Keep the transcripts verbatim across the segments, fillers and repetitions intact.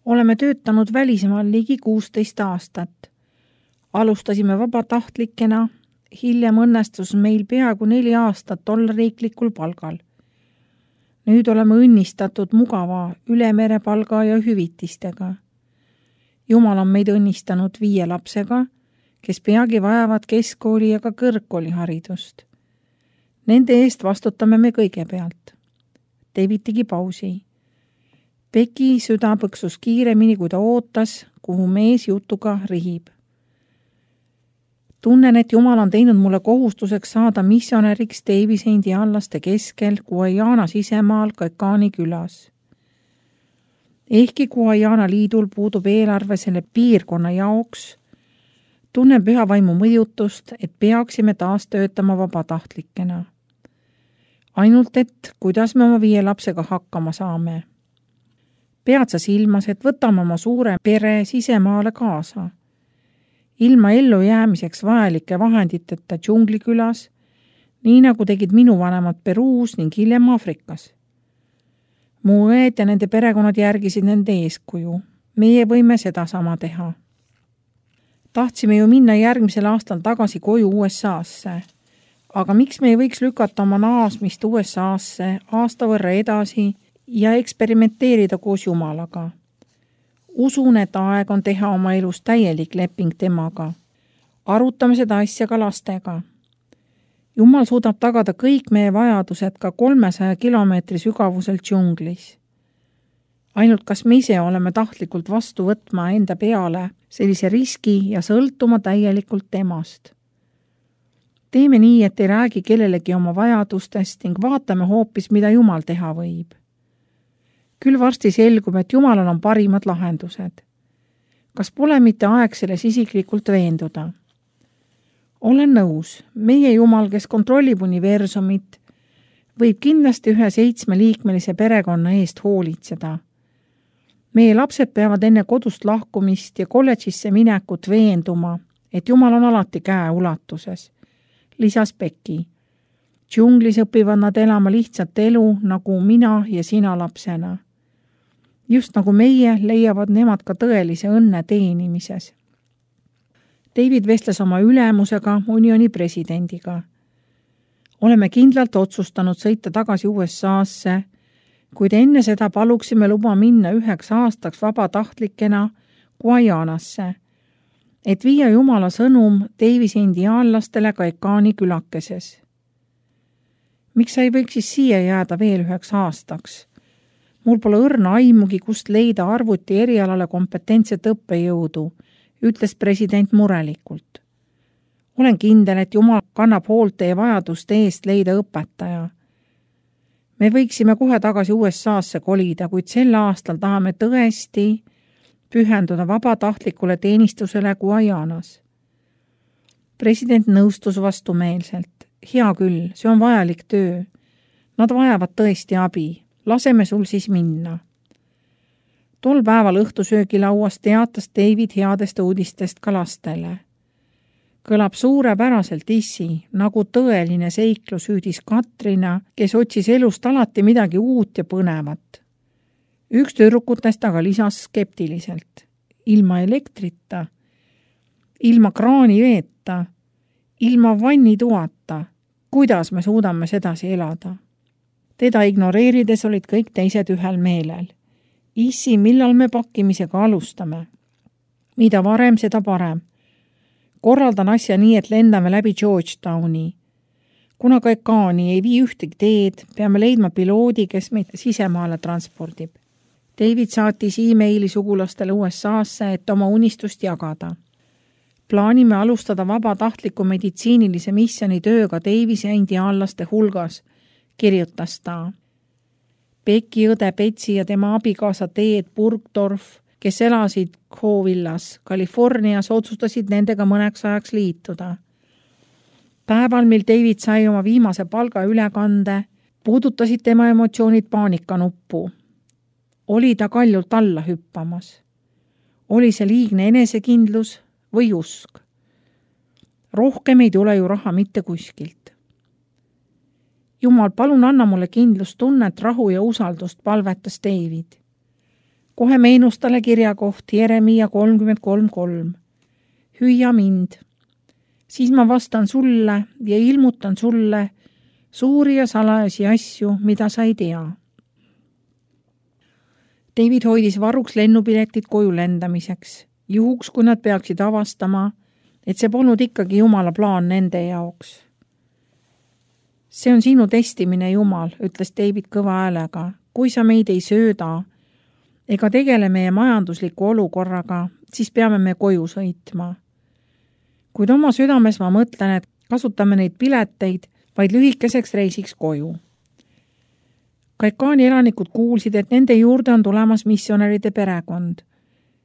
Oleme töötanud välismaal ligi kuusteist aastat. Alustasime vabatahtlikena, hiljem õnnestus meil peaaegu neli aastat olla riiklikul palgal. Nüüd oleme õnnistatud mugava ülemerepalga ja hüvitistega. Jumal on meid õnnistanud viie lapsega, kes peagi vajavad keskkooli ja ka kõrgkooli haridust. Nende eest vastutame me kõigepealt. David tegi pausi. Beki süda põksus kiiremini, kui ta ootas, kuhu mees jutuga rihib. Tunnen, et Jumal on teinud mulle kohustuseks saada missionäriks Davise indiaanlaste keskel Guyana sisemaal Kaikani külas. Ehkki Guyana liidul puudub eelarve selle piirkonna jaoks, tunnen püha vaimu mõjutust, et peaksime taas töötama vabatahtlikena. Ainult et, kuidas me oma viie lapsega hakkama saame. Pead sa silmas, et võtame oma suure pere sisemaale kaasa. Ilma ellu jäämiseks vajalike vahenditeta džunglikülas, nii nagu tegid minu vanemad Peruus ning hiljem Afrikas. Mu õed ja nende perekonnad järgisid nende eeskuju. Meie võime seda sama teha. Tahtsime ju minna järgmisel aastal tagasi koju U S A-sse, aga miks me ei võiks lükata oma naasmist U S A-sse aasta võrra edasi ja eksperimenteerida koos Jumalaga? Usun, et aeg on teha oma elus täielik leping temaga. Arutame seda asja ka lastega. Jumal suudab tagada kõik meie vajadused ka kolmesaja kilomeetri sügavusel džunglis. Ainult kas me ise oleme tahtlikult vastu võtma enda peale sellise riski ja sõltuma täielikult temast. Teeme nii, et ei räägi kellelegi oma vajadustest ning vaatame hoopis, mida Jumal teha võib. Küll varsti selgub, et Jumalal on parimad lahendused. Kas pole mitte aeg selles isiklikult veenduda? Olen nõus, meie Jumal, kes kontrollib universumit, võib kindlasti ühe seitsmeliikmelise perekonna eest hoolitseda. Meie lapsed peavad enne kodust lahkumist ja kolledžisse minekut veenduma, et Jumal on alati käe ulatuses, lisas Beki. Džunglis õpivad nad elama lihtsat elu, nagu mina ja sina lapsena. Just nagu meie leiavad nemad ka tõelise õnne teenimises. David vestles oma ülemusega, unioni presidendiga. Oleme kindlalt otsustanud sõita tagasi U S A-sse, kuid enne seda paluksime luba minna üheks aastaks vabatahtlikena Guyanasse, et viia Jumala sõnum Davise indiaanlastele Kaikani külakeses. Miks sa ei võiks siis siia jääda veel üheks aastaks? Mul pole õrna aimugi, kust leida arvuti erialale kompetentset õppejõudu, ütles president murelikult. Olen kindel, et Jumal kannab hoolt teie vajaduste eest leida õpetaja. Me võiksime kohe tagasi U S A-sse kolida, kuid sel aastal tahame tõesti pühenduda vabatahtlikule teenistusele Guyanas. President nõustus vastumeelselt. Hea küll, see on vajalik töö. Nad vajavad tõesti abi. Laseme sul siis minna. Tol päeval õhtusöögilauas teatas David headest uudistest ka lastele. Kõlab suurepäraselt issi, nagu tõeline seiklus hüüdis Katrina, kes otsis elust alati midagi uut ja põnevat. Üks tüdrukutest aga lisas skeptiliselt. Ilma elektrita, ilma kraani veeta, ilma vannituata, kuidas me suudame sedasi elada? Teda ignoreerides olid kõik teised ühel meelel. Issi, millal me pakkimisega alustame? Mida varem, seda parem. Korraldan asja nii, et lendame läbi Georgetowni. Kuna Kaikani ei vii ühtegi teed, peame leidma piloodi, kes meid sisemaale transpordib. David saatis e-maili sugulastele U S A-sse, et oma unistust jagada. Plaanime alustada vabatahtliku meditsiinilise missioni tööga Davise indiaanlaste hulgas, kirjutas ta. Beki õde Betsi ja tema abikaasa Teed Burgdorf, kes elasid Covillas, Californias, otsustasid nendega mõneks ajaks liituda. Päeval, mil David sai oma viimase palga ülekande, puudutasid tema emotsioonid paanikanuppu. Oli ta kaljult alla hüppamas. Oli see liigne enesekindlus või usk? Rohkem ei tule ju raha mitte kuskilt. Jumal, palun anna mulle kindlustunnet, rahu ja usaldust, palvetas David. kohe meenus talle kirjakoht Jeremiia kolmkümmend kolm kolm. Hüüa mind. Siis ma vastan sulle ja ilmutan sulle suuri ja salajasi asju, mida sa ei tea. David hoidis varuks lennupiletid koju lendamiseks, juhuks kui nad peaksid avastama, et see polnud ikkagi Jumala plaan nende jaoks. See on sinu testimine, Jumal, ütles David kõva häälega, kui sa meid ei sööda ega tegele meie majandusliku olukorraga, siis peame me koju sõitma. Kuid oma südames ma mõtlen, et kasutame neid pileteid vaid lühikeseks reisiks koju. Kaikaani elanikud kuulsid, et nende juurde on tulemas missionäride perekond.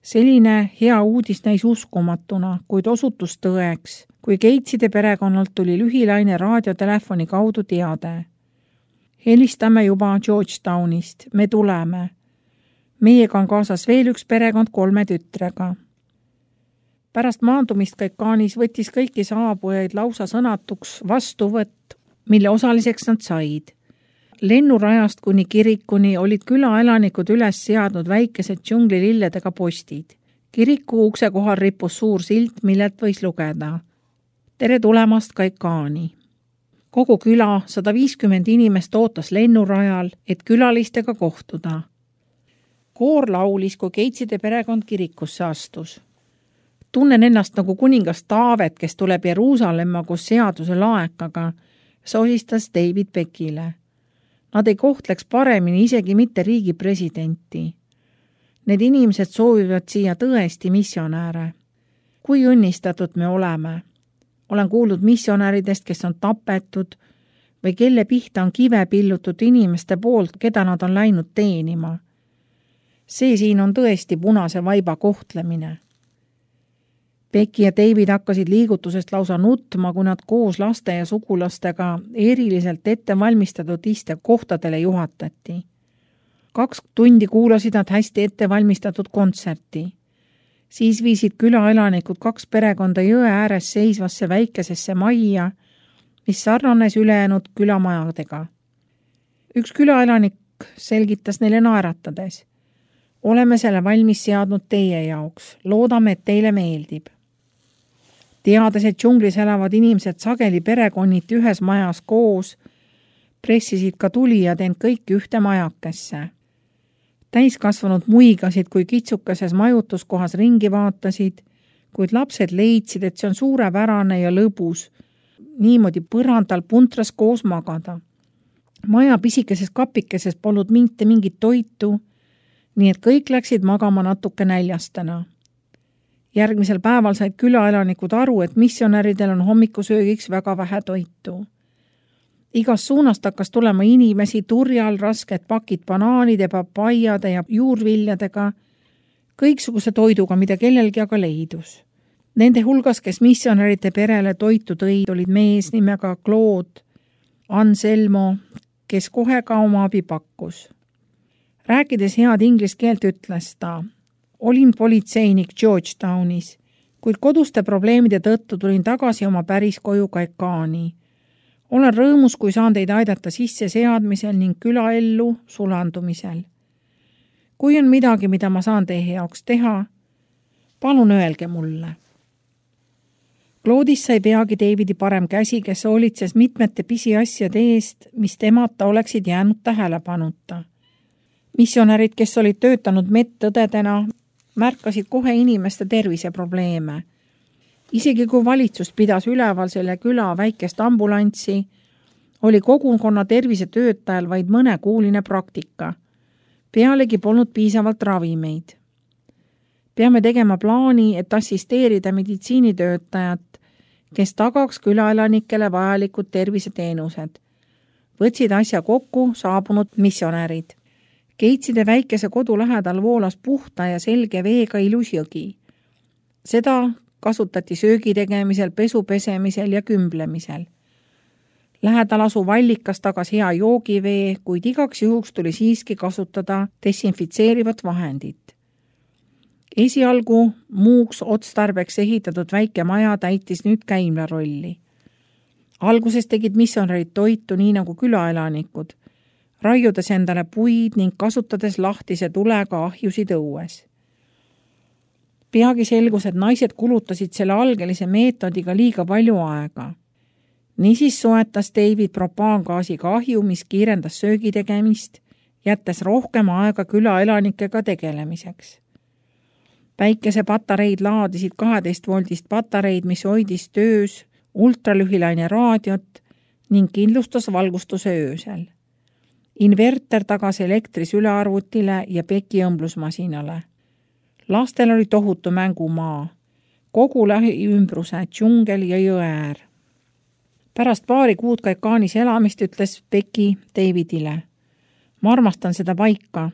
Selline hea uudis näis uskumatuna, kuid osutus tõeks, kui Gateside perekonnalt tuli lühilaine raadiotelefoni kaudu teade. Helistame juba Georgetownist, me tuleme. Meiega on kaasas veel üks perekond kolme tütrega. Pärast maandumist Kaikaanis võttis kõiki saabujaid lausa sõnatuks vastuvõtt, mille osaliseks nad said. Lennurajast kuni kirikuni olid külaelanikud üles seadnud väikesed džunglililledega postid. Kiriku ukse kohal rippus suur silt, millelt võis lugeda. Tere tulemast Kaikaani. Kogu küla sada viiskümmend inimest ootas lennurajal, et külalistega kohtuda. Koor laulis, kui Gateside perekond kirikusse astus. Tunnen ennast nagu kuningas Taavet, kes tuleb Jeruusalemma koos seaduse laekaga, sosistas David Beckile. Nad ei kohtleks paremini isegi mitte riigi presidenti. Need inimesed soovivad siia tõesti missionääre. Kui õnnistatud me oleme? Olen kuulnud missionääridest, kes on tapetud või kelle pihta on kive pillutud inimeste poolt, keda nad on läinud teenima. See siin on tõesti punase vaiba kohtlemine. Becky ja David hakkasid liigutusest lausa nutma, kui nad koos laste ja sugulastega eriliselt ette valmistatud iste kohtadele juhatati. Kaks tundi kuulasid nad hästi ette valmistatud kontserti. Siis viisid külaelanikud kaks perekonda jõe ääres seisvasse väikesesse majja, mis sarnanes ülejäänud külamajadega. Üks külaelanik selgitas neile naeratades. Oleme selle valmis seadnud teie jaoks. Loodame, et teile meeldib. Teades, et džunglis elavad inimesed sageli perekonniti ühes majas koos, pressisid ka tulijad end kõik ühte majakesse. Täiskasvanud muigasid, kui kitsukeses majutuskohas ringi vaatasid, kuid lapsed leidsid, et see on suurepärane ja lõbus, niimoodi põrandal puntras koos magada. Maja pisikeses kapikeses polnud mitte mingit toitu, nii et kõik läksid magama natuke näljastena. Järgmisel päeval said külaelanikud aru, et missionäridel on hommikusöögiks väga vähe toitu. Igas suunast hakkas tulema inimesi turjal rasked pakid banaanide, papaiade ja juurviljadega, kõiksuguse toiduga, mida kellelgi aga leidus. Nende hulgas, kes missionäride perele toitu tõid, olid mees nimega Claude Anselmo, kes kohe ka oma abi pakkus. Rääkides head inglise keelt ütles ta, olin politseinik Georgetownis, kuid koduste probleemide tõttu tulin tagasi oma päris koju Kaikaani. Olen rõõmus, kui saan teid aidata sisse seadmisel ning külaellu sulandumisel. Kui on midagi, mida ma saan teie jaoks teha, palun öelge mulle. Claudis sai peagi Davidi parem käsi, kes hoolitses mitmete pisiasjade eest, mis temata oleksid jäänud tähelepanuta. Missionärid, kes olid töötanud medõdedena, märkasid kohe inimeste terviseprobleeme. Isegi kui valitsus pidas üleval selle küla väikest ambulantsi, oli kogukonna tervisetöötajal vaid mõnekuuline praktika. Pealegi polnud piisavalt ravimeid. Peame tegema plaani, et assisteerida meditsiinitöötajat, kes tagaks külaelanikele vajalikud terviseteenused. Võtsid asja kokku saabunud missionärid. Gateside väikese kodu lähedal voolas puhta ja selge veega ilus jõgi. Seda kasutati söögi tegemisel, pesu pesemisel ja kümblemisel. Lähedal asuv allikas tagas hea joogivee, kuid igaks juhuks tuli siiski kasutada desinfitseerivat vahendit. Esialgu muuks otstarbeks ehitatud väike maja täitis nüüd käimla rolli. Alguses tegid missionärid toitu nii nagu külaelanikud. raiudes endale puid ning kasutades lahtise tulega ahjusid õues. Peagi selgus, et naised kulutasid selle algelise meetodiga liiga palju aega. Niisiis soetas David propaangaasiga ahju, mis kiirendas söögi tegemist, jättes rohkem aega külaelanikega tegelemiseks. Päikesepatareid laadisid kaheteist voldist patareid, mis hoidis töös ultralühilaine raadiot ning kindlustas valgustuse öösel. Inverter tagas elektris ülearvutile ja Becky õmblusmasinale. Lastel oli tohutu mängumaa, kogu lähiümbruse, džungel ja jõeäär. Pärast paari kuud Kaikaanis elamist ütles Becky Davidile: ma armastan seda paika.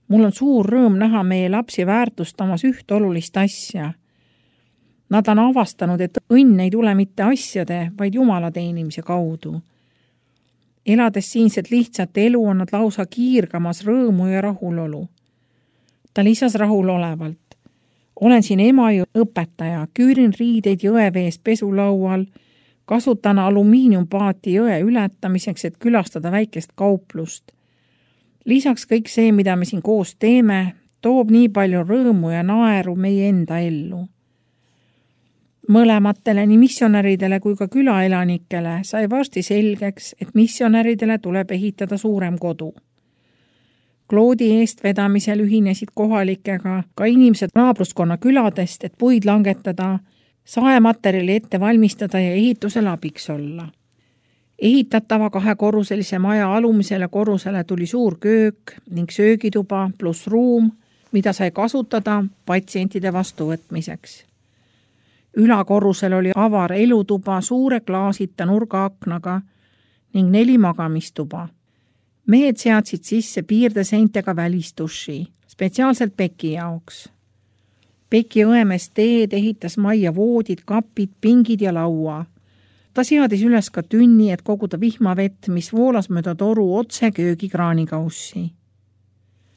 Mul on suur rõõm näha meie lapsi väärtustamas üht olulist asja. Nad on avastanud, et õnn ei tule mitte asjade, vaid Jumala teenimise kaudu. Elades siinset lihtsat elu on nad lausa kiirgamas rõõmu ja rahulolu. Ta lisas rahulolevalt: olen siin ema ja õpetaja, küürin riideid jõevees pesulaual, kasutan alumiiniumpaati jõe ületamiseks, et külastada väikest kauplust. Lisaks kõik see, mida me siin koos teeme, toob nii palju rõõmu ja naeru meie enda ellu. Mõlematele, nii missionäridele kui ka külaelanikele sai varsti selgeks, et missionäridele tuleb ehitada suurem kodu. Kloodi eestvedamisel ühinesid kohalikega ka inimesed naabruskonna küladest, et puid langetada, saematerjali ette valmistada ja ehitusel abiks olla. Ehitatava kahekorruselise maja alumisele korrusele tuli suur köök ning söögituba pluss ruum, mida sai kasutada patsientide vastuvõtmiseks. Ülakorrusel oli avar elutuba suure klaasita nurgaaknaga ning neli magamistuba. Mehed seadsid sisse piirdeseintega välistuši, spetsiaalselt Becky jaoks. Becky õemes teed ehitas majja voodid, kapid, pingid ja laua. Ta seadis üles ka tünni, et koguda vihmavett, mis voolas mööda toru otse köögikraanikaussi.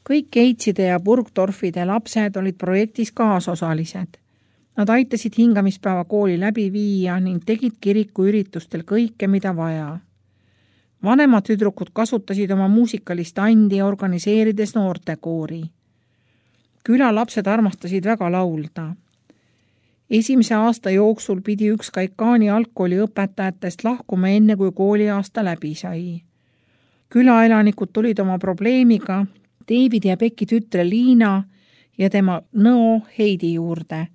Kõik Keitside ja Burgdorfide lapsed olid projektis kaasosalised. Nad aitasid hingamispäeva kooli läbi viia ning tegid kiriku üritustel kõike, mida vaja. Vanemad tüdrukud kasutasid oma muusikalist andi, organiseerides noortekoori. Külalapsed armastasid väga laulda. Esimese aasta jooksul pidi üks Kaikaani algkooli õpetajatest lahkuma enne, kui kooliaasta läbi sai. Külaelanikud tulid oma probleemiga David ja Becky tütre Liina ja tema nõo Heidi juurde,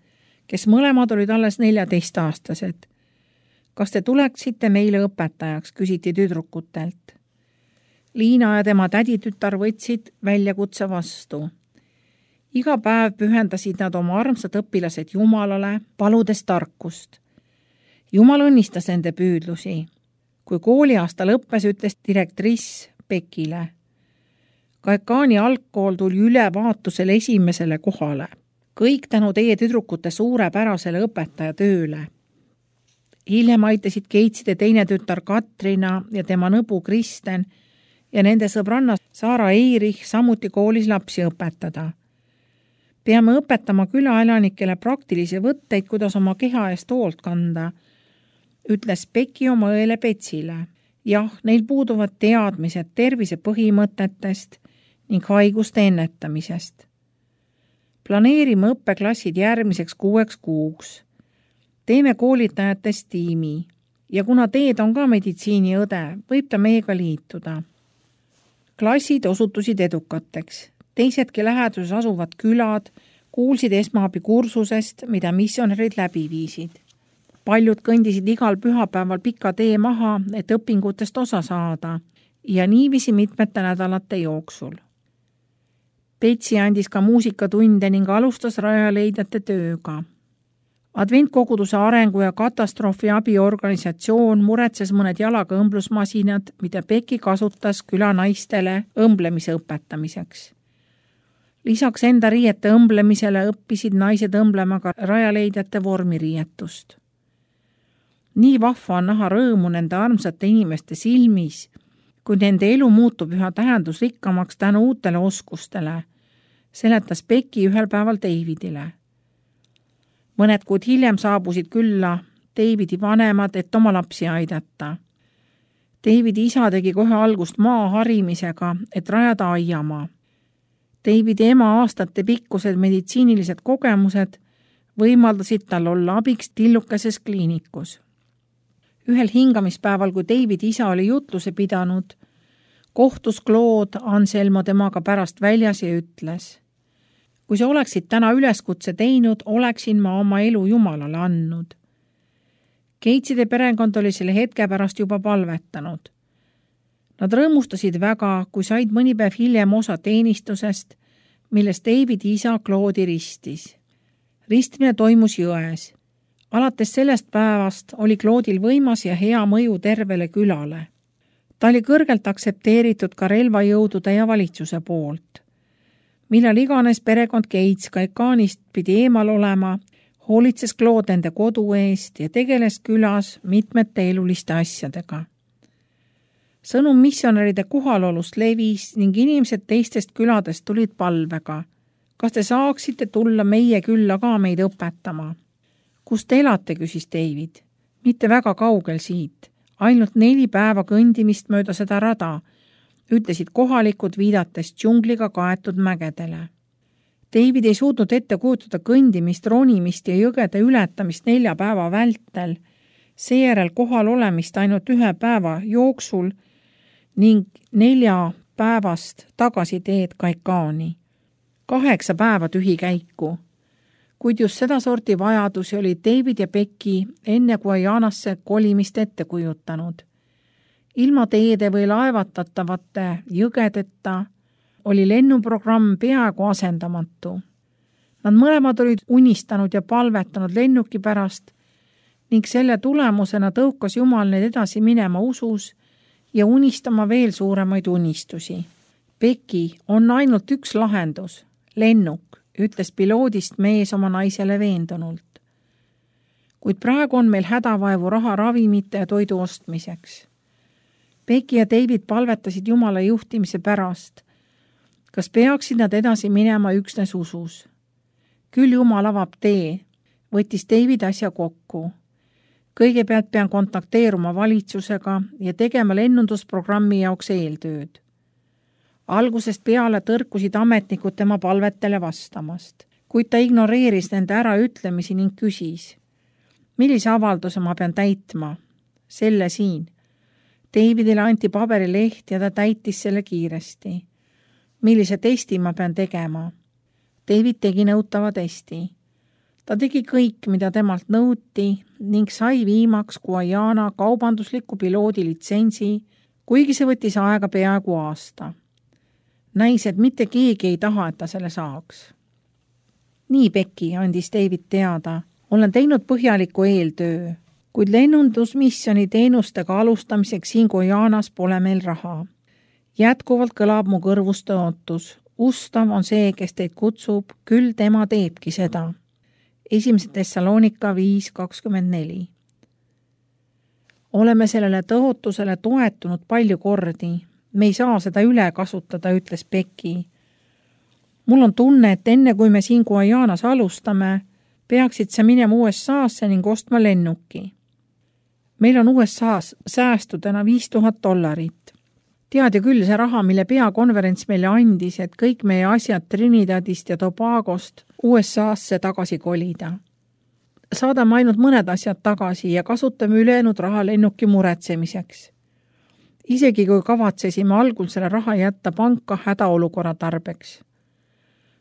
kes mõlemad olid alles neljateist-aastased. Kas te tuleksite meile õpetajaks, küsiti tüdrukutelt. Liina ja tema täditütar võtsid väljakutse vastu. Iga päev pühendasid nad oma armsad õpilased Jumalale, paludes tarkust. Jumal õnnistas nende püüdlusi. Kui kooliaasta lõppes, ütles direktriss Beckile: Kaikaani algkool tuli ülevaatusel esimesele kohale. Kõik tänu teie tüdrukute suurepärasele õpetaja tööle. Hiljem aitasid Keitside teine tütar Katrina ja tema nõbu Kristen ja nende sõbranna Saara Eirich samuti koolis lapsi õpetada. Peame õpetama külaelanikele praktilisi võtteid, kuidas oma keha eest hoolt kanda, ütles Becky oma õele Betsile. Jah, neil puuduvad teadmised tervise põhimõtetest ning haiguste ennetamisest. Planeerime õppeklassid järgmiseks kuueks kuuks. Teeme koolitajatest tiimi ja kuna teed on ka meditsiiniõde, võib ta meiega liituda. Klassid osutusid edukateks. Teisedki läheduses asuvad külad kuulsid esmaabi kursusest, mida missionärid läbi viisid. Paljud kõndisid igal pühapäeval pika tee maha, et õpingutest osa saada ja niiviisi mitmete nädalate jooksul. Betsi andis ka muusikatunde ning alustas rajaleidjate tööga. Adventkoguduse arengu ja katastroofi abiorganisatsioon muretses mõned jalaga õmblusmasinad, mida Becky kasutas külanaistele õmblemise õpetamiseks. Lisaks enda riiete õmblemisele õppisid naised õmblema ka rajaleidjate vormiriietust. Nii vahva on näha rõõmu nende armsate inimeste silmis, kui nende elu muutub üha tähendusrikkamaks tänu uutele oskustele, seletas Becky ühel päeval Davidile. Mõned kuud hiljem saabusid külla Davidi vanemad, et oma lapsi aidata. Davidi isa tegi kohe algust maa harimisega, et rajada aiamaa. Davidi ema aastate pikkused meditsiinilised kogemused võimaldasid tal olla abiks tillukeses kliinikus. Ühel hingamispäeval, kui Davidi isa oli jutluse pidanud, kohtus Claude Anselmo temaga pärast väljas ja ütles: kui sa oleksid täna üleskutse teinud, oleksin ma oma elu Jumalale andnud. Gateside perekond oli selle hetke pärast juba palvetanud. Nad rõõmustasid väga, kui said mõni päev hiljem osa teenistusest, milles Davidi isa Claude'i ristis. Ristmine toimus jões. Alates sellest päevast oli Claude'il võimas ja hea mõju tervele külale. Ta oli kõrgelt aksepteeritud ka relvajõudude ja valitsuse poolt. Millal iganes perekond Gates Caencanist pidi eemal olema, hoolitses Claude nende kodu eest ja tegeles külas mitmete eluliste asjadega. Sõnum missionäride kohalolust levis ning inimesed teistest küladest tulid palvega. Kas te saaksite tulla meie külla ka meid õpetama? Kus te elate, küsis David. Mitte väga kaugel siit, ainult neli päeva kõndimist mööda seda rada, ütlesid kohalikud viidates džungliga kaetud mägedele. David ei suutnud ette kujutada kõndimist, ronimist ja jõgede ületamist nelja päeva vältel, seejärel kohal olemist ainult ühe päeva jooksul ning nelja päevast tagasi teed Caencani. Kaheksa päeva tühi käiku. Kuid just seda sorti vajadusi oli David ja Becky enne Guyanasse kolimist ette kujutanud. Ilma teede või laevatatavate jõgedeta oli lennuprogramm peaaegu asendamatu. Nad mõlemad olid unistanud ja palvetanud lennuki pärast ning selle tulemusena tõukas Jumal neid edasi minema usus ja unistama veel suuremaid unistusi. Becky, on ainult üks lahendus, lennuk, ütles piloodist mees oma naisele veendunult. Kuid praegu on meil hädavaevu raha ravimite ja toidu ostmiseks. Becky ja David palvetasid Jumala juhtimise pärast. Kas peaksid nad edasi minema üksnes usus? Küll Jumal avab tee, võttis David asja kokku. Kõigepealt pean kontakteeruma valitsusega ja tegema lennundusprogrammi jaoks eeltööd. Algusest peale tõrkusid ametnikud tema palvetele vastamast, kuid ta ignoreeris nende äraütlemisi ning küsis: millise avalduse ma pean täitma? Selle siin. Davidile anti paberileht ja ta täitis selle kiiresti. Millise testi ma pean tegema? David tegi nõutava testi. Ta tegi kõik, mida temalt nõuti ning sai viimaks Guyana kaubandusliku piloodi litsentsi, kuigi see võttis aega peaaegu aasta. Näis, et mitte keegi ei taha, et ta selle saaks. Nii, Becky, andis David teada, olen teinud põhjaliku eeltöö, kuid lennundusmissioni teenustega alustamiseks siin Guyanas pole meil raha. Jätkuvalt kõlab mu kõrvust ootus. Ustav on see, kes teid kutsub, küll tema teebki seda. Esimese Thessalonika viis kakskümmend neli. Oleme sellele tõotusele toetunud palju kordi. Me ei saa seda üle kasutada, ütles Becky. Mul on tunne, et enne kui me siin Guyanas alustame, peaksid sa minema U S A-sse ning ostma lennuki. Meil on U S A-s säästudena viis tuhat dollarit. Tead ju küll see raha, mille peakonverents meile andis, et kõik meie asjad Trinidadist ja Tobagost U S A-sse tagasi kolida. Saadame ainult mõned asjad tagasi ja kasutame ülejäänud raha lennuki muretsemiseks. Isegi kui kavatsesime algul selle raha jätta panka hädaolukorra tarbeks.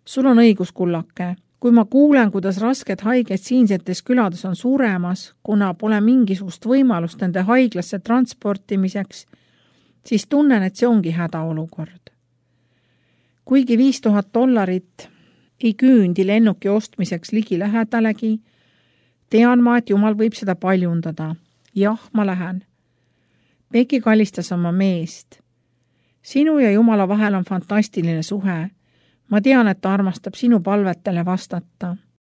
Sul on õigus, kullake. Kui ma kuulen, kuidas rasked haiged siinsetes külades on suremas, kuna pole mingisugust võimalust nende haiglasse transportimiseks, siis tunnen, et see ongi hädaolukord. Kuigi viis tuhat dollarit ei küündi lennuki ostmiseks ligi lähedalegi, tean ma, et Jumal võib seda paljundada. Jah, ma lähen. Becky kallistas oma meest. Sinu ja Jumala vahel on fantastiline suhe. Ma tean, et ta armastab sinu palvetele vastata.